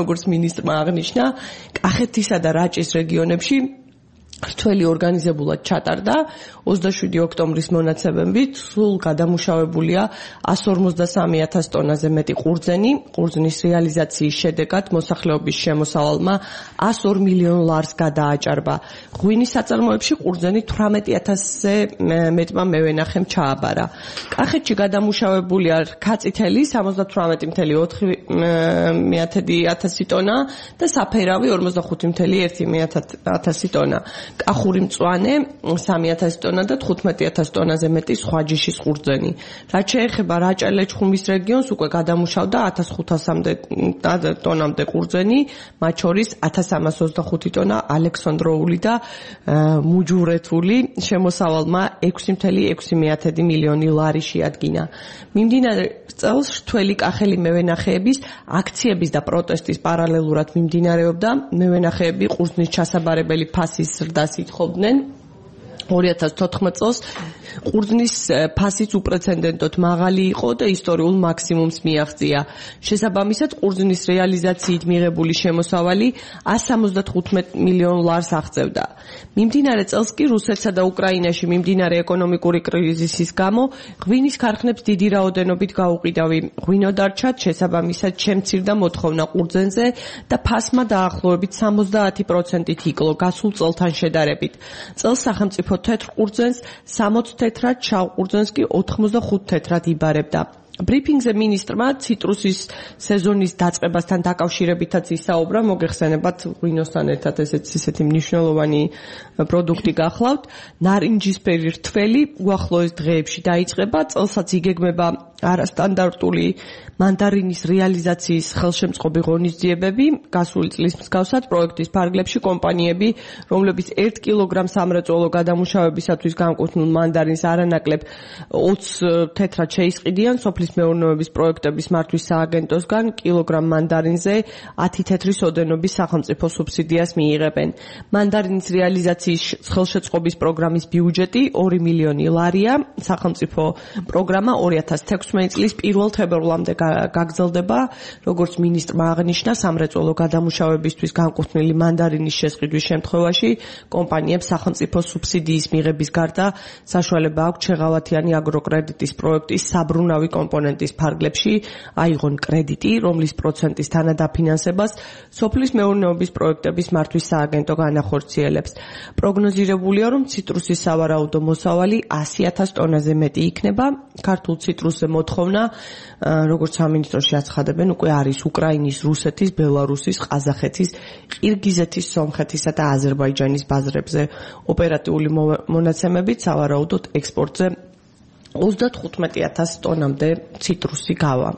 როგორც მინისტრმა აღნიშნა, კახეთისა და რაჭის რეგიონებში რთველი ორგანიზებულად ჩატარდა 27 ოქტომბრის მონაცემებით სულ გადამუშავებულია 153,000 ტონაზე მეტი ყურძენი. ყურძნის რეალიზაციის შედეგად მოსახლეობის შემოსავალმა 102 მილიონ ლარს გადააჭარბა. ღვინის საწარმოებში ყურძენი 18,000-ზე მეტმა მევენახემ ჩააბარა. კახეთში გადამუშავებულია რქაწითელი 78,4 ტონა და საფერავი 45,1 ტონა. კახური მწვანე 3,000 ტონა და 15,000 ტონაზე მეტი სხვა ჯიშის ყურძენი. რაც შეეხება რაჭა-ლეჩხუმის რეგიონს, უკვე გადამუშავდა 1,500 ტონამდე ყურძენი, მათ შორის 1,325 ტონა ალექსანდროული და მუჯურეთული, შემოსავალმა 6,6 მილიონი ლარი შეადგინა. მიმდინარე წელს რთველი კახელი მევენახეების აქციების და პროტესტის პარალელურად მიმდინარეობდა. მევენახეები ყურძნის ჩასაბარებელი ფასის ზრდას ითხოვდნენ. 2014 წელს ყურძნის ფასიც უპრეცედენტოდ მაღალი იყო და ისტორიულ მაქსიმუმს მიაღწია. შესაბამისად, ყურძნის რეალიზაციით მიღებული შემოსავალი 175 მილიონ ლარს აღწევდა. მიმდინარე წელს კი რუსეთსა და უკრაინაში მიმდინარე ეკონომიკური კრიზისის გამო ღვინის ქარხნებს დიდი რაოდენობით გაუყიდავი ღვინო დარჩათ, შესაბამისად შემცირდა მოთხოვნა ყურძენზე და ფასმა დაახლოებით 70%-ით იკლო გასულ წელთან შედარებით. წელს სახელმწიფო თეთრ ყურძენს 60 თეთრად, შავ ყურძენს კი 85 თეთრად იბარებდა. ბრიფინგზე მინისტრმა ციტრუსის სეზონის დაწყებასთან დაკავშირებითაც ისაუბრა, მოგეხსენებათ ღვინოსთან ერთად ესეთი მნიშვნელოვანი პროდუქტი გახლავთ. ნარინჯისფერი რთველი უახლოეს დღეებში დაიწყება, წელსაც იგეგმება არასტანდარტული მანდარინის რეალიზაციის ხელშემწყობი ღონისძიებები. გასული წლის მსგავსად პროექტის ფარგლებში კომპანიები, რომლებიც 1 კილოგრამ სამრეწველო გადამუშავებისათვის განკუთვნილ მანდარინს არანაკლებ 20 თეთრად შეისყიდიან, სოფლის მეურნეობის პროექტების მართვის სააგენტოსგან კილოგრამ მანდარინზე 10 თეთრის ოდენობის სახელმწიფო სუბსიდიას მიიღებენ. მანდარინის რეალიზაციის ხელშეწყობის პროგრამის ბიუჯეტი 2 მილიონი ლარია. სახელმწიფო პროგრამა 2016 წლის 1 თებერვლამდე გაგრძელდება. როგორც მინისტრმა აღნიშნა, სამრეწველო გადამუშავებისთვის განკუთვნილი მანდარინის შესყიდვის შემთხვევაში კომპანიებს სახელმწიფო სუბსიდიის მიღების გარდა საშუალება აქვთ შეღავათიანი აგროკრედიტის პროექტის საბრუნავი კომპონენტის ფარგლებში აიღონ კრედიტი, რომლის პროცენტის თანადაფინანსებას სოფლის მეურნეობის პროექტების მართვის სააგენტო განახორციელებს. პროგნოზირებულია, რომ ციტრუსის სავარაუდო მოსავალი 100,000 ტონაზე მეტი იქნება. ქართულ ციტრუსზე მოთხოვნა, როგორც სამინისტროში აცხადებენ, უკვე არის უკრაინის, რუსეთის, ბელარუსის, ყაზახეთის, ყირგიზეთის, სომხეთისა და აზერბაიჯანის ბაზრებზე. ოპერატიული მონაცემებით სავარაუდოდ ექსპორტზე 35,000 ტონამდე ციტრუსი გავა.